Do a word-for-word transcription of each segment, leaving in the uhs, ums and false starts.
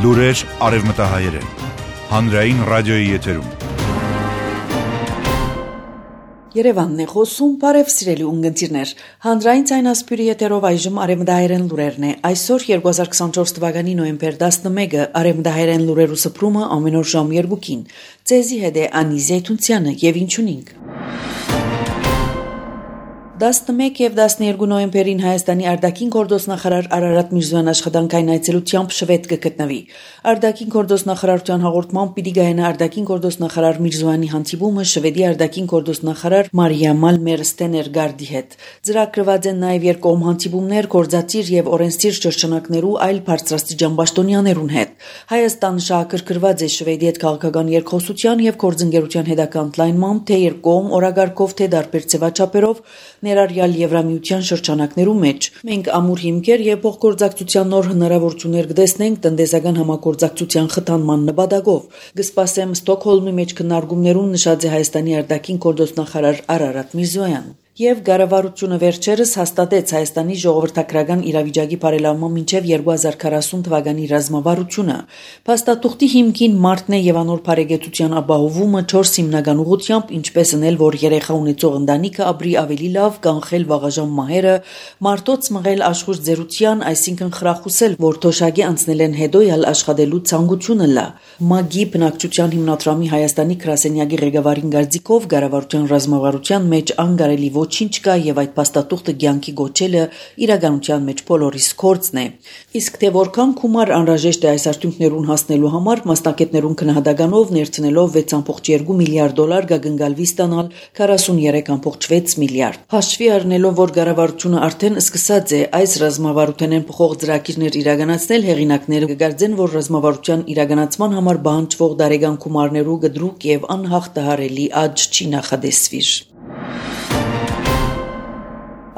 Լուրեր արևմտահայերեն, հանրային ռադիոյի եթերում։ Երևանն է խոսում, բարև սիրելի ունգընտիրներ, հանրային ցայնասպյուրի եթերով այժմ արևմտահայերեն լուրերն է, այսօր երկու հազար քսանչորս թվականի նոյեմբեր տասնմեկը, արևմտահայերեն լուրերու սփռումը ամեն օր ժամ երկուին, ձեզի հետ է Անի Զեյթունցյանը եւ ինչունինք։ տասնմեկ եւ տասներկու նոյեմբերին Հայաստանի արտաքին գործոստնախարար Արարատ Միրզոյան աշխատանքային այցելությամբ Շվեդ կգտնվի։ Արտաքին գործոստնախարարության հաղորդմամբ պիտի գայնա արտաքին գործոստնախարար Միրզոյանի հանդիպումը Շվեդի արտաքին գործոստնախարար Մարիա Մալմեր Ստեներգարդի հետ։ Ծրագրված են նաեւ երկկողմ հանդիպումներ գործադիր եւ օրենսդիր շրջանակներու այլ բարձրաստիճան պաշտոնյաներուն հետ։ Հայաստանը շահագրգռված է Շվեդի հետ քաղաքական երկխոսության եւ գործընկերության հետագա ընդլայնմամբ, թե երկկողմ օրագարկով, թե դարբեր ձևաչափերով ներառյալ Եվրամիության շրջանակներու մեջ։ Մենք ամուր հիմքեր եւ փոխգործակցության նոր հնարավորություններ կտեսնենք տնտեսական համագործակցության խթանման նպատակով։ Կսպասեմ Ստոկհոլմի մեջ քննարկումներուն նշած է Հայաստանի արտաքին գործոստնախարար Արարատ Միրզոյան։ Եվ կառավարությունը վերջերս հաստատեց Հայաստանի ժողովրդական իրավիճակի բարելավման մինչև երկու հազար քառասուն թվականի ռազմավարությունը։ Փաստաթուղթի հիմքին մարտն է եւ անոր բարեկեցության ապահովումը չորս հիմնական ուղղությամբ, ինչպես անել, որ երեխա ունեցող ընտանիքը ապրի ավելի լավ, կանխել վաղաժամ մահերը, մարտոց մղել աշխուժ ձերության, այսինքն խրախուսել, որ թոշակի անցնել են հետո յալ աշխատելու ցանկությունը լա։ ՄԱԳ-ի բնակչության հիմնադրամի Հայաստանի գրասենյակի ղեկավարին գարձիկով կառավարության ռազմավարության մեջ անկարելի ոչինչ կա եւ այդ փաստաթուղթը ցանկի գոչելը իրականության մեջ բոլորիս կորցն է։ Իսկ թե որքան գումար անհրաժեշտ է այս արդյունքներուն հասնելու համար, մասնակիցներուն քննադատականով ներդնելով վեց կόμma երկու միլիարդ դոլար կգնգալվի ստանալ քառասուններեք կόμma վեց միլիարդ։ Հաշվի առնելով, որ կառավարությունը արդեն սկսած է այս ռազմավարութենեն փոխող ծրագիրներ իրականացնել, հեղինակները կգարձեն, որ ռազմավարության իրականացման համար բանջվող դարեգան գումարներու գդրուկ եւ անհաղթահարելի աճ չի նախադեсվիր։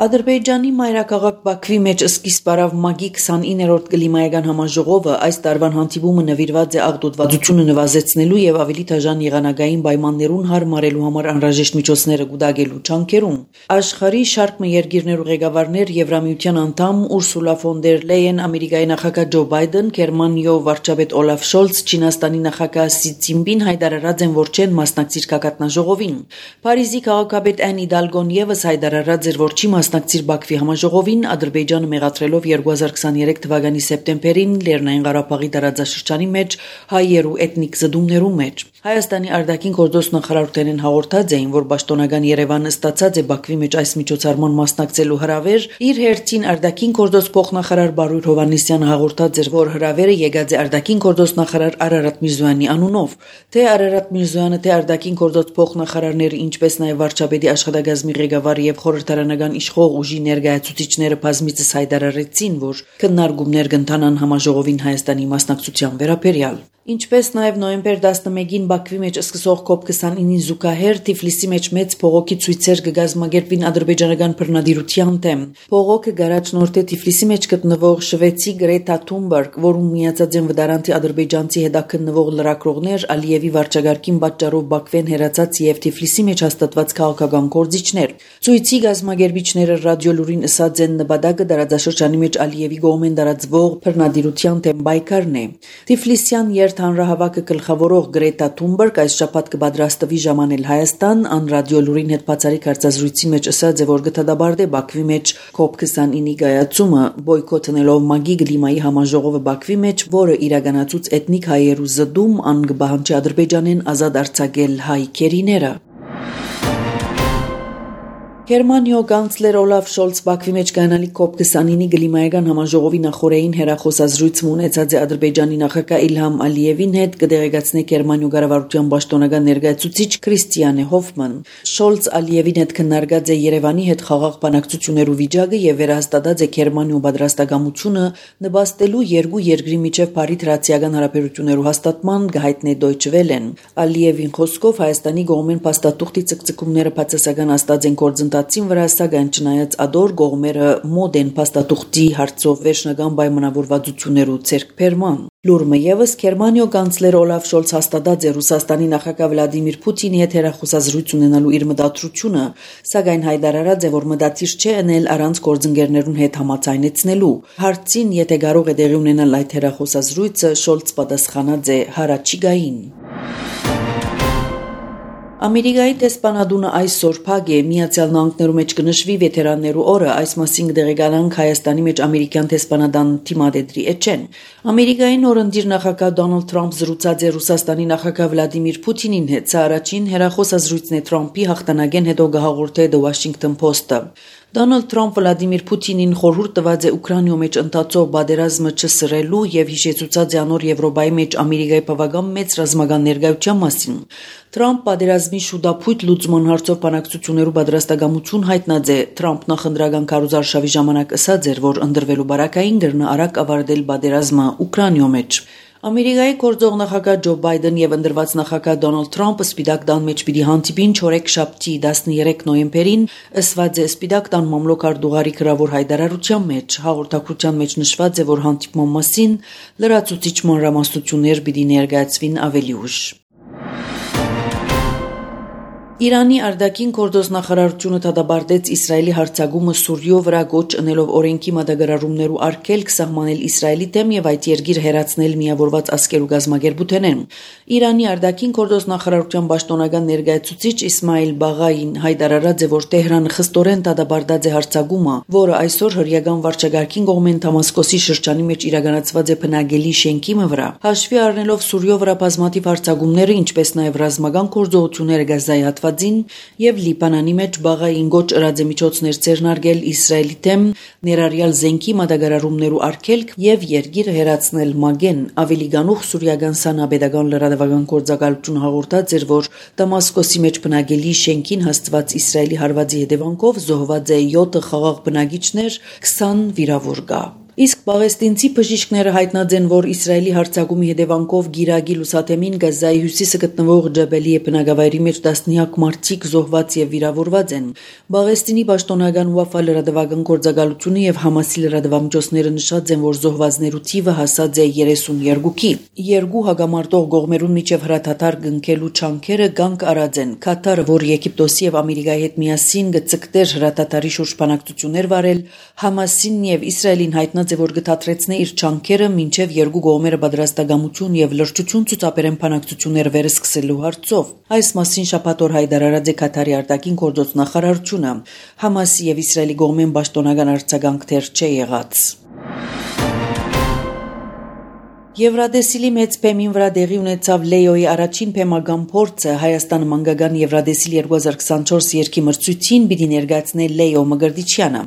Ադրբեջանի մայրաքաղաք Բաքվի մեջ սկիզբ առավ ՄԱԳ-ի քսանիններորդ կլիմայական համաժողովը, այս տարվան հանդիպումը նվիրված է աղտոտվածությունը նվազեցնելու եւ ավելի դաժան եղանակային պայմաններուն հարմարելու համար անհրաժեշտ միջոցները կուտակելու ջանքերուն։ Աշխարհի շարք մը երկիրներու ղեկավարներ, Եվրամիության անդամ Ուրսուլա ֆոն դեր Լեյեն, Ամերիկայի նախագահ Ջո Բայդեն, Գերմանիայի վարչապետ Օլաֆ Շոլց, Չինաստանի նախագահ Սի Ցինպին հայտարարած են, որ չեն մասնակցիր կակատնաժողովին։ Փարիզի քաղաքապետ Ան Իդալգոն եւս հայտարարած էր, որ չի մասնակցիր Բաքվի համաժողովին, Ադրբեջանը մեղադրելով երկու հազար քսաներեք թվականի սեպտեմբերին Լեռնային Ղարաբաղի տարածաշրջանի մեջ հայերու էթնիկ զդումներու մեջ։ Հայաստանի արտաքին գործոստնախարարութենեն հաղորդած էին, որ պաշտոնական Երևանը ստացած է Բաքվի մեջ այս միջոցառման մասնակցելու հրավեր, իր հերթին արտաքին գործոս փոխնախարար Բարույր Հովհաննիսյանը հաղորդած էր, որ հրավերը եկած է արտաքին գործոստնախարար Արարատ Միրզոյանի անունով։ Թե Արարատ Միրզոյանը, թե արտաքին գործոս փոխնախարարները, ինչպես նաև վարչապետի աշխատակազմի ղեկավարը եւ խորհրդարանական իշխող ուժի ներկայացուցիչները բազմիցս հայտարարեցին, որ քննարկումներ կընթանան համաժողովին Հայաստանի մասնակցության վերաբերյալ։ Ինչպես նաև նոյեմբեր տասնմեկին Բաքվի մեջ սկսող կոպ քսանինին զուգահեռ Թիֆլիսի մեջ մեծ փողոքի ցույցեր կգազմագերբին ադրբեջանական բռնադիրության դեմ։ Փողոքը գարաչնորդ է Թիֆլիսի մեջ գտնվող շվեդցի Գրետա Թունբերգ, որում միացած են վդարանտի ադրբեջանցի հետաքննվող լրագրողներ, Ալիևի վարչագարկին պատճառով Բաքվեն հերացած եւ Թիֆլիսի մեջ հաստատված քաղաքական գործիչներ։ Ցույցի գազմագերբիչները ռադիոլուրին ըսած են նպատակը տարածաշրջանի մեջ Ալիևի կողմեն տարածվող բռնադիրության դեմ պայքարն է։ Թիֆլիսյան Հանրահավաքը գլխավորող Գրետա Թունբերգ այս շաբաթ կպատրաստվի ժամանել Հայաստան, ան ռադիոլուրին հետ բացառիկ հարցազրույցի մեջ ասաց է, որ կդադարե Բաքվի մեջ կոպ քսանինի կայացումը, բոյկոթնելով ՄԱԳ-ի կլիմայի համաժողովը Բաքվի մեջ, որը իրականացուց էթնիկ հայերու զդում, ան կպահանջի Ադրբեջանեն ազատ արձակել հայ քերիները։ Գերմանիո կանցլեր Օլաֆ Շոլց Բաքվի մեջ կանալի կոպ քսանինի կլիմայական համաժողովի նախորդին հերախոսազրույց ունեցած է Ադրբեջանի նախագահ Իլհամ Ալիևին հետ, կդեղեկացնե Գերմանիո կառավարության պաշտոնական ներկայացուցիչ Քրիստիան Հոֆման։ Շոլց Ալիևին հետ քննարկած է Երևանի հետ խաղաղ բանակցություններու վիճակը եւ վերահաստատած է Գերմանիո պատրաստակամությունը նպաստելու երկու երկրի միջև բարի դրացիական հարաբերություններու հաստատման, գահիտնե Դոյչե Վելեն։ Ալիևին խոսքով Հայաստանի կողմեն փաստաթուղթի ցկցկումները բացասական աստած են գործ գործընթացին վրա, սակայն չնայած ադոր կողմերը մոտ են փաստաթուղթի հարցով վերջնական պայմանավորվածություններու ձեռքբերման։ Լուրը ևս Գերմանիո կանցլեր Օլաֆ Շոլց հաստատած է Ռուսաստանի նախագահ Վլադիմիր Պուտինի հետ հեռախոսազրույց ունենալու իր մտադրությունը, սակայն հայտարարած է, որ մտադիր չէ ընել առանց գործընկերներուն հետ համաձայնեցնելու։ Հարցին, եթե կարող է տեղի ունենալ այդ հեռախոսազրույցը, Շոլց պատասխանած է հարաճիգային։ Ամերիկայի տեսփանադունը այսօր փակ է Միացյալ Նահանգներու մեջ կնշվի վետերաններու օրը, այս մասին կդեղեկանանք Հայաստանի մեջ ամերիկյան տեսփանադան թիմադեդրի էջեն։ Ամերիկային օրընտիր նախագահ Դոնալդ Թրամփ զրուցած է Ռուսաստանի նախագահ Վլադիմիր Պուտինին հետ, սա առաջին հեռախոսազրույցն է Թրամփի հաղթանակեն հետո գահաղորդե The Washington Post-ը։ Դոնալդ Թրամփ Վլադիմիր Պուտինին խորհուրդ տված է Ուկրաինայում մեջ ընթացող պատերազմը չսրելու եւ հիշեցուցած է անոր Եվրոպայի մեջ Ամերիկայի բավական մեծ ռազմական ներկայության մասին։ Թրամփ պատերազմի շուտապույտ լուծման հարցով բանակցություններու պատրաստակամություն հայտնած է։ Թրամփն նախընտրական քարոզարշավի ժամանակ ասաց էր, որ ընդրվելու բարակային գրնա արագ ավարտել պատերազմը Ուկրաինայում մեջ։ Ամերիկայի գործող նախագահ Ջո Բայդեն եւ ընդրված նախագահ Դոնալդ Թրամփը Սպիտակ տան մեջ պիտի հանդիպին չորեքշաբթի տասներեք նոյեմբերին, ըսված է Սպիտակ տան մամլոք-արտուղարի գրավոր հայտարարության մեջ։ Հաղորդակցության մեջ նշված է, որ հանդիպման մասին լրացուցիչ մանրամասնություններ պիտի ներկայացվին ավելի ուշ։ Իրանի արտաքին գործոս նախարարությունը դատապարտեց Իսրայելի հարձակումը Սուրիո վրա գոչ ընելով օրենքի մատակարարումներու արգելք սահմանել Իսրայելի դեմ եւ այդ երկիրը հերացնել միավորված ազգերու գազམ་ագերբութենեն։ Իրանի արտաքին գործոս նախարարության պաշտոնական ներկայացուցիչ Իսմայիլ Բաղային հայտարարած է, որ Տեհրանը խստորեն դատապարտած է հարձակումը, որը այսօր հրեական վարչագահքին կողմեն Դամասկոսի շրջանի մեջ իրականացված է բնակելի շենքի վրա։ Հաշվի առնելով Սուրիո վրա բազմաթիվ հարձակումները, ինչպես նաեւ ռազմական գործողությունները Գազայի հատվածին եւ Լիբանանի մեջ Բաղային գոչ ըրած է միջոցներ ձեռնարկել Իսրայելի դեմ, ներառյալ զենքի մատակարարումներու արգելք եւ երկիրը հերացնել մագեն։ Ավելի գանուխ սուրիական սանաբեդական լրատվական գործակալությունը հաղորդած էր, որ Դամասկոսի մեջ բնակելի շենքին հաստված Իսրայելի հարվածի հետևանքով զոհված է յոթ խաղաղ բնակիչներ, քսան վիրավոր կա։ Իսկ պաղեստինցի բժիշկները հայտնած են, որ Իսրայելի հարձակումի հետևանքով Գիրագի լուսաթեմին Գազայի հյուսիսը գտնվող Ջաբելիե բնակավայրի մեջ տասնյակ մարդիկ զոհված եւ վիրավորված են։ Պաղեստինի պաշտոնական Ուաֆա լրատվական գործակալությունը եւ Համասի լրատվամիջոցները նշած են, որ զոհվածներու թիվը հասած է երեսունյոթի։ Երկու հագամարտող կողմերուն միջև հրաթաթար կնքելու չանքերը կանգ առած են։ Կատարը, որ Եգիպտոսի եւ Ամերիկայի հետ միասին գծկտեր հրաթաթարի շուրջ բանակցություններ վարել, Համասին եւ Իսրայելին հայտնած է, որ գտածրեցնե իր չանքերը մինչև երկու կողմերը պատրաստակամություն եւ լրջություն ցուցաբերեն բանակցություններ վերսկսելու հարցով։ Այս մասին շաբաթ օր հայտարարած է Կատարի արտաքին գործոս նախարարությունը։ Համասի եւ Իսրայելի կողմեն պաշտոնական արձագանք դեռ չի եղած։ Եվրադեսիլի մեծ փեմին վրա դեղի ունեցավ Լեոյի առաջին փեմական փորձը Հայաստանը մանկական Եվրադեսիլ երկու հազար քսանչորս երկի մրցույթին պիտի ներկայացնել Լեո Մգրտիչյանը։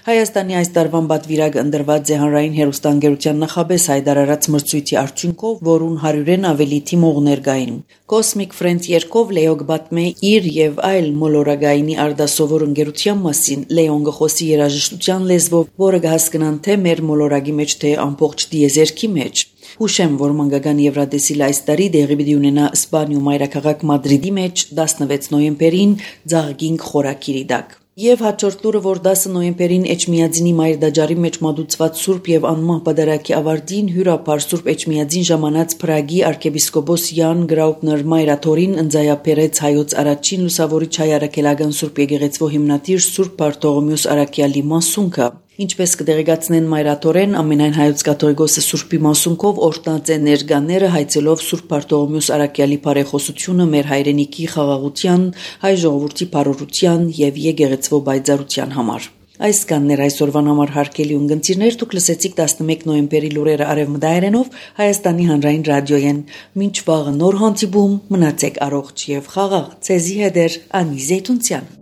Հայաստանի այս տարվան պատվիրակը ընտրված է հանրային հեռուստաընկերության նախաբես հայտարարած մրցույթի արդյունքով, որուն հարյուրեն ավելի թիմողներ կային։ Cosmic Friends երկով Լեո կպատմե իր եւ այլ մոլորակայինի արդասովոր ընկերության մասին։ Լեոն գխոսի երաժշտության լեզվով, որը կհասկանան թե մեր մոլորակի մեջ, թե ամբողջ դիեզերքի մեջ։ Հուշեմ, որ մանկական Եվրադեսիլը այս տարի դեղի պիտի ունենա Իսպանիու մայրաքաղաք Մադրիդի մեջ տասնվեց նոյեմբերին Ձաղգինգ խորակիրի տակ։ Եվ հաջորդ լուրը, որ դասը նոյեմբերին Էջմիածինի մայրդաջարի մեջ մատուցված Սուրբ եւ անմահ պատարագի ավարտին հյուրապար Սուրբ Էջմիածին ժամանած Փրագի arczepiskopos Յան Գրաուպներ Մայրաթորին ընձայապերեց հայոց առաջին լուսավորիչ հայ արաքելական Սուրբ եկեղեցվո հիմնադիր Սուրբ Բարտողոմեոս Արաքյալի մասունքը։ Ինչպես կդեղեկացնեն մայրաթորեն, ամենայն հայոց կաթողիկոսը Սուրբի մասունքով օրտնած է ներկաները հայցելով Սուրբ Բարտողոմեոս Արաքյալի բարեխոսությունը մեր հայրենիքի խաղաղության, հայ ժողովրդի բարօրության եւ եկեղեցվո բայձարության համար։ Այս կաններ այսօրվան համար հարգելի ունգընտիրներ, դուք լսեցիք տասնմեկ նոյեմբերի լուրերը արևմտայերենով Հայաստանի հանրային ռադիոյեն։ Մինչ վաղը նոր հանդիպում, մնացեք առողջ եւ խաղաղ։ Ցեզի հետ է Անի Զեյթունցյան։